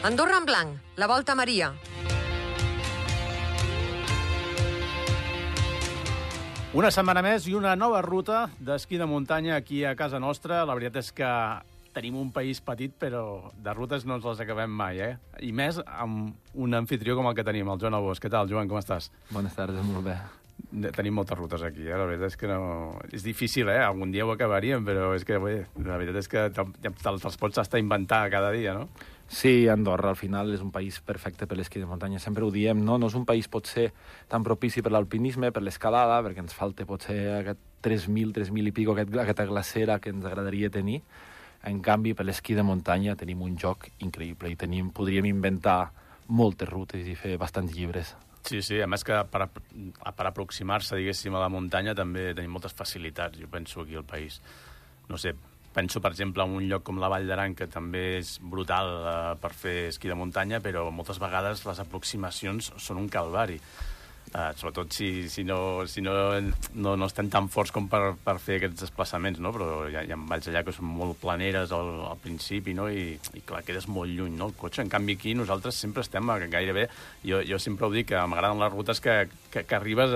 Andorra en blanc, la Volta a Maria. Una setmana més i una nova ruta d'esquí de muntanya aquí a casa nostra. La veritat és que tenim un país petit, però de rutes no ens les acabem mai, eh? I més amb un anfitrió com el que tenim, el Joan Albós. Què tal, Joan, com estàs? Bones tardes, molt bé. Tenim moltes rutes aquí, la veritat és que no... És difícil, algun dia ho acabaríem, però és que, bé, la veritat és que te'ls pots estar inventar cada dia, no? Sí, Andorra al final és un país perfecte per l'esquí de muntanya. Sempre ho diem, no? No és un país potser tan propici per l'alpinisme, per l'escalada, perquè ens falta potser aquest 3.000 i pico, aquesta glacera que ens agradaria tenir. En canvi, per l'esquí de muntanya tenim un joc increïble i podríem inventar moltes rutes i fer bastants llibres. Sí, a més que per aproximar-se, diguéssim, a la muntanya també tenim moltes facilitats, jo penso, aquí al país. No sé, penso, per exemple, en un lloc com la Vall d'Aran, que també és brutal per fer esquí de muntanya, però moltes vegades les aproximacions són un calvari. Sobretot si no estem tan forts com per fer aquests desplaçaments, no? Però hi ha valls allà que són molt planeres al principi, no? I clar, quedes molt lluny, no? El cotxe. En canvi, aquí nosaltres sempre estem gairebé... Jo sempre ho dic, que m'agraden les rutes que arribes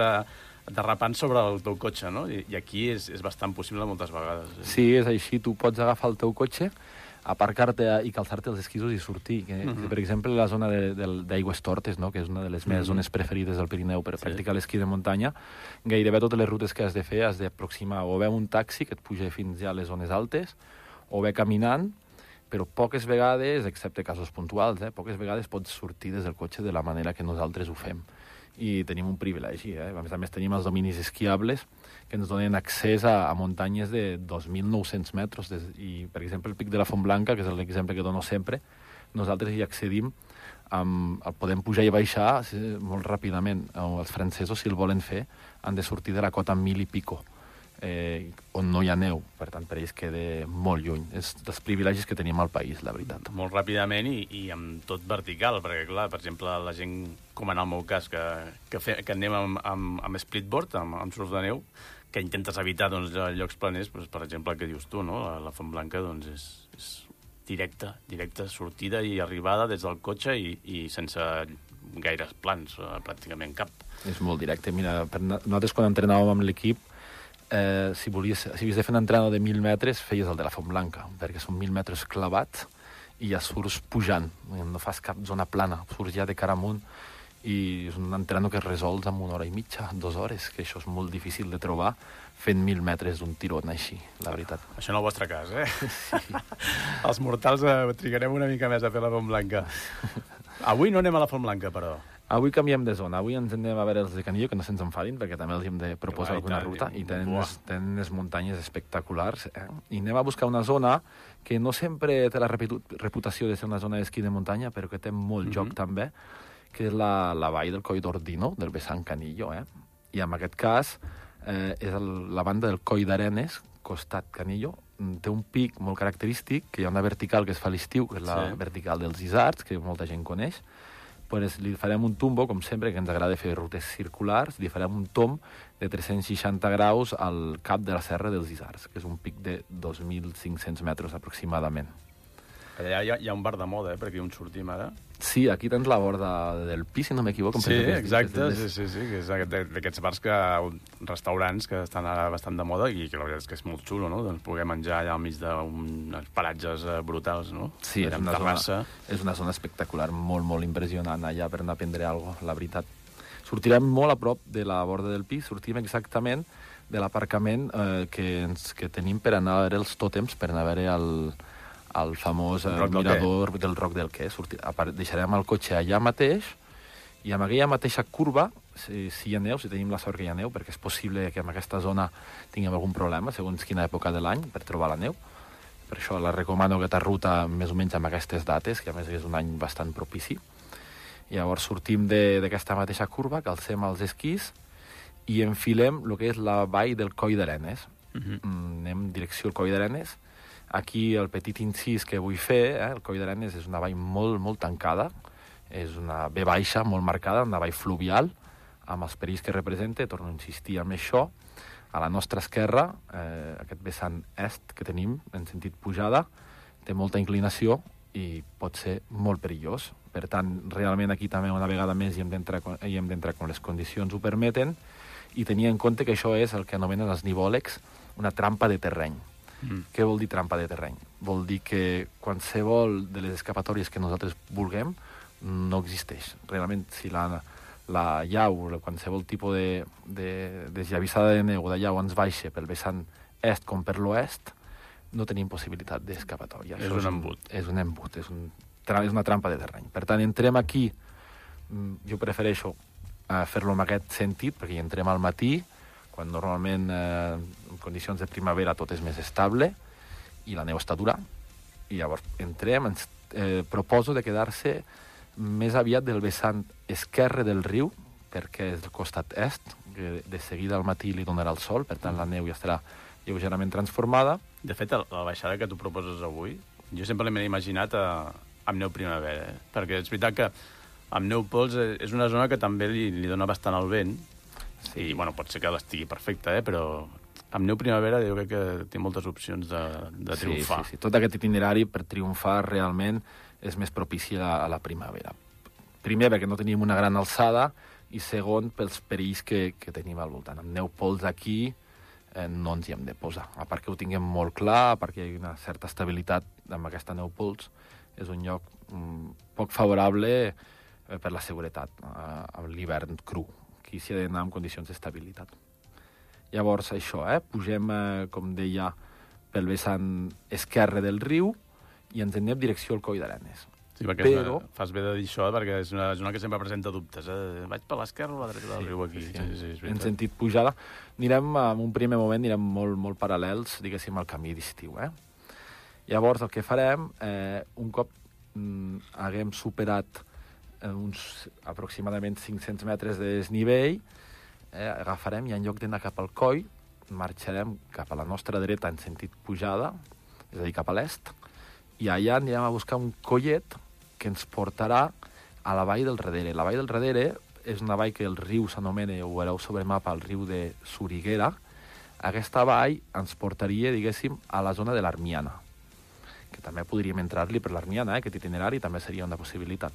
derrapant sobre el teu cotxe, no? I aquí és bastant possible moltes vegades. Sí, és així. Tu pots agafar el teu cotxe, aparcar-te i calçar-te els esquisos i sortir. Per exemple, la zona d'Aigües Tortes, no? Que és una de les meves zones preferides del Pirineu per practicar l'esquí de muntanya, gairebé totes les rutes que has de fer has d'aproximar o bé un taxi que et puja fins ja a les zones altes, o bé caminant, però poques vegades, excepte casos puntuals, poques vegades pots sortir des del cotxe de la manera que nosaltres ho fem. I tenim un privilegi, A més tenim els dominis esquiables que ens donen accés a muntanyes de 2.900 metres. I, per exemple, el Pic de la Font Blanca, que és l'exemple que dono sempre, nosaltres hi accedim, el podem pujar i baixar molt ràpidament. Els francesos, si el volen fer, han de sortir de la cota 1.000 i pico, on no hi ha neu. Per tant, per ells queda molt lluny. És dels privilegis que tenim al país, la veritat. Molt ràpidament i amb tot vertical, perquè, clar, per exemple, la gent, com en el meu cas, que anem amb splitboard, amb surf de neu, que intentes evitar llocs planers, per exemple, el que dius tu, no? La Font Blanca és directa sortida i arribada des del cotxe i sense gaires plans, pràcticament cap. És molt directe. Mira, nosaltres quan entrenàvem amb l'equip, si havies de fer un entrenador de 1.000 metres, feies el de la Font Blanca, perquè són 1.000 metres clavats i ja surts pujant, no fas cap zona plana, surts ja de cara amunt, i és un entrenador que es resols en 1 hora i mitja, 2 hores, que això és molt difícil de trobar fent 1.000 metres d'un tirón així, la veritat. Això en el vostre cas, Sí. Els mortals trigarem una mica més a fer la Font Blanca. Avui no anem a la Font Blanca, però... Avui canviem de zona. Avui ens anem a veure els de Canillo, que no se'ns enfadin, perquè també els hem de proposar alguna ruta, i tenen unes muntanyes espectaculars. I anem a buscar una zona que no sempre té la reputació de ser una zona d'esquí de muntanya, però que té molt joc també, que és la vall del Coll d'Ordino, del vessant Canillo. I en aquest cas és la banda del Coll d'Arenes, costat Canillo. Té un pic molt característic, que hi ha una vertical que es fa a l'estiu, que és la vertical dels Isards, que molta gent coneix. Pues li farem un tombo, com sempre, que ens agrada fer rutes circulars, li farem un tomb de 360 graus al cap de la Serra dels Isards, que és un pic de 2.500 metres aproximadament. Allà hi ha un bar de moda, per aquí on sortim ara. Sí, aquí tens la borda del Pi, si no m'equivoco. Sí, exacte, sí, que és d'aquests bars, restaurants que estan ara bastant de moda i que la veritat és que és molt xulo, no? Doncs poder menjar allà al mig d'uns paratges brutals, no? Sí, és una zona espectacular, molt, molt impressionant allà per anar a prendre alguna cosa, la veritat. Sortirem molt a prop de la borda del Pi, sortim exactament de l'aparcament que tenim per anar a veure els tòtems, per anar a veure el famós mirador del Roc del Quer. Deixarem el cotxe allà mateix i amb aquella mateixa curva, si hi ha neu, si tenim la sort que hi ha neu, perquè és possible que en aquesta zona tinguem algun problema, segons quina època de l'any, per trobar la neu. Per això la recomano aquesta ruta més o menys amb aquestes dates, que a més és un any bastant propici. Llavors sortim d'aquesta mateixa curva, calcem els esquís i enfilem el que és la vall del Coll d'Arenes. Anem en direcció al Coll d'Arenes. Aquí el petit incís que vull fer, el Coll d'Arenes és una vall molt, molt tancada, és una V baixa molt marcada, una vall fluvial, amb els perills que representa, torno a insistir amb això. A la nostra esquerra, aquest vessant est que tenim, en sentit pujada, té molta inclinació i pot ser molt perillós. Per tant, realment aquí també una vegada més hi hem d'entrar quan les condicions ho permeten i tenir en compte que això és el que anomenen els nivòlegs una trampa de terreny. Què vol dir trampa de terreny? Vol dir que qualsevol de les escapatòries que nosaltres vulguem no existeix. Realment, si la llau, qualsevol tipus de desllavissada de neu o de llau ens baixa pel vessant est com per l'oest, no tenim possibilitat d'escapatòria. És un embut. És un embut, és una trampa de terreny. Per tant, entrem aquí, jo prefereixo fer-lo en aquest sentit, perquè hi entrem al matí, quan normalment en condicions de primavera tot és més estable i la neu està dura, i llavors entrem, ens proposo de quedar-se més aviat del vessant esquerre del riu, perquè és el costat est, que de seguida al matí li donarà el sol, per tant la neu ja estarà lleugerament transformada. De fet, la baixada que tu proposes avui, jo sempre l'he imaginat amb neu primavera, perquè és veritat que amb neu pols és una zona que també li dona bastant el vent, i bueno, pot ser que l'estigui perfecta, però amb neu primavera jo crec que té moltes opcions de triomfar. Sí. Tot aquest itinerari per triomfar realment és més propici a la primavera. Primer, perquè no tenim una gran alçada, i segon, pels perills que tenim al voltant. Amb neu pols aquí no ens hi hem de posar. A part que ho tinguem molt clar, a part que hi ha una certa estabilitat amb aquesta neu pols, és un lloc poc favorable per la seguretat a l'hivern cru. Aquí s'hi ha d'anar en condicions d'estabilitat. Llavors, això, pugem, com deia, pel vessant esquerre del riu i ens anem direcció al Coll d'Arenes. Sí, perquè fas bé de dir això, perquè és una zona que sempre presenta dubtes. Vaig per l'esquerra o a la dreta del riu aquí? Sí, en sentit pujada. Anirem, en un primer moment, molt paral·lels, diguéssim, al camí d'estiu. Llavors, el que farem, un cop haguem superat uns aproximadament 500 metres de desnivell, agafarem i en lloc d'anar cap al coll, marxarem cap a la nostra dreta en sentit pujada, és a dir, cap a l'est, i allà anirem a buscar un collet que ens portarà a la vall del Redere. La vall del Redere és una vall que el riu s'anomena, ho veureu sobre mapa, el riu de Soriguera. Aquesta vall ens portaria, diguéssim, a la zona de l'Armiana, que també podríem entrar-li per l'Armiana, aquest itinerari també seria una possibilitat.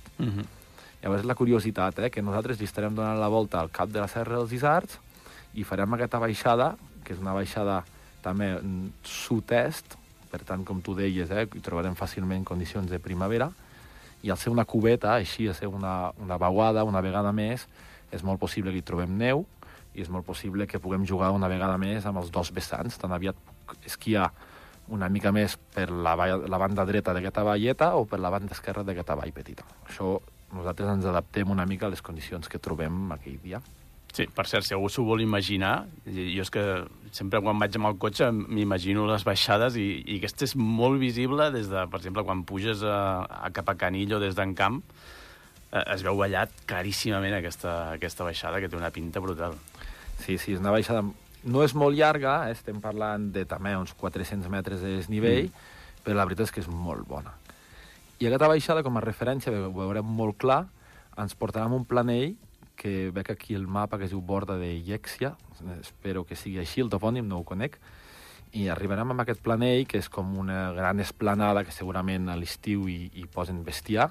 Llavors la curiositat, que nosaltres li estarem donant la volta al cap de la Serra dels Isards i farem aquesta baixada, que és una baixada també sud-est, per tant, com tu deies, hi trobarem fàcilment condicions de primavera, i al ser una cubeta, així, a ser una vaguada, una vegada més, és molt possible que hi trobem neu, i és molt possible que puguem jugar una vegada més amb els dos vessants. Tan aviat puc esquiar una mica més per la banda dreta d'aquesta valleta o per la banda esquerra d'aquesta vall petita. Això nosaltres ens adaptem una mica a les condicions que trobem aquell dia. Sí, per cert, si algú s'ho vol imaginar, jo és que sempre quan vaig amb el cotxe m'imagino les baixades i aquesta és molt visible des de, per exemple, quan puges cap a Canillo des d'Encamp, es veu ballat claríssimament aquesta baixada que té una pinta brutal. Sí, és una baixada... No és molt llarga, estem parlant de també uns 400 metres de desnivell, però la veritat és que és molt bona. I aquesta baixada, com a referència, ho veurem molt clar, ens portarà a un planell que veig aquí el mapa que es diu Borda de Ièxia, espero que sigui així, el topònim no ho conec, i arribarem a aquest planell, que és com una gran esplanada que segurament a l'estiu hi posen bestiar,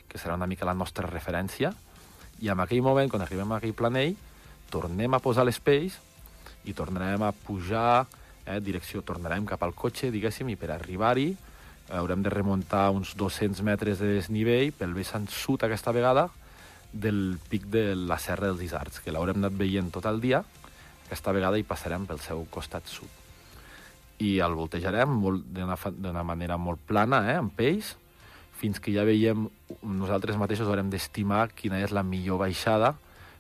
que serà una mica la nostra referència, i en aquell moment, quan arribem a aquell planell, tornem a posar les pells i tornarem a pujar, tornarem cap al cotxe, diguéssim, i per arribar-hi haurem de remuntar uns 200 metres de desnivell pel vessant sud aquesta vegada, del pic de la Serra dels Isards, que l'haurem anat veient tot el dia. Aquesta vegada hi passarem pel seu costat sud. I el voltejarem d'una manera molt plana, amb pells, fins que ja veiem, nosaltres mateixos haurem d'estimar quina és la millor baixada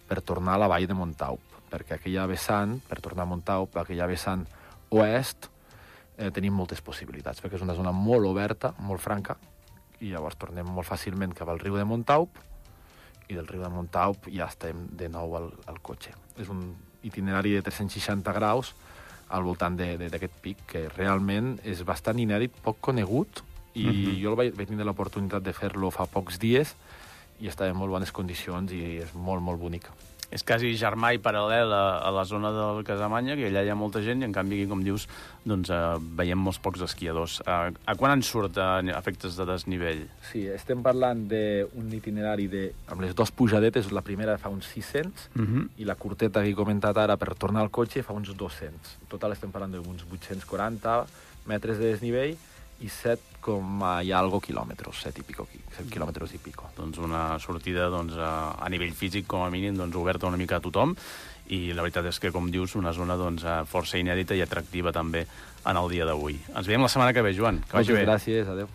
per tornar a la vall de Montaup, perquè aquella vessant, per tornar a Montaup, aquella vessant oest, tenim moltes possibilitats, perquè és una zona molt oberta, molt franca, i llavors tornem molt fàcilment cap al riu de Montaup, i del riu de Montaup ja estem de nou al cotxe. És un itinerari de 360 graus al voltant d'aquest pic, que realment és bastant inèdit, poc conegut, i jo vaig tenir l'oportunitat de fer-lo fa pocs dies, i estava en molt bones condicions i és molt, molt bonic. és quasi germà i paral·lel a la zona del Casamanya, que allà hi ha molta gent, i en canvi aquí, com dius, doncs, veiem molts pocs esquiadors. A quan en surt a efectes de desnivell? Sí, estem parlant d'un itinerari amb les 2 pujadetes, la primera fa uns 600, i la curteta que he comentat ara per tornar al cotxe fa uns 200. En total estem parlant d'uns 840 metres de desnivell, i 7 i algo quilòmetres, 7 quilòmetres i pico. Doncs una sortida a nivell físic, com a mínim, oberta una mica a tothom, i la veritat és que, com dius, una zona força inèdita i atractiva també en el dia d'avui. Ens veiem la setmana que ve, Joan. Que vagi bé. Moltes gràcies, adeu.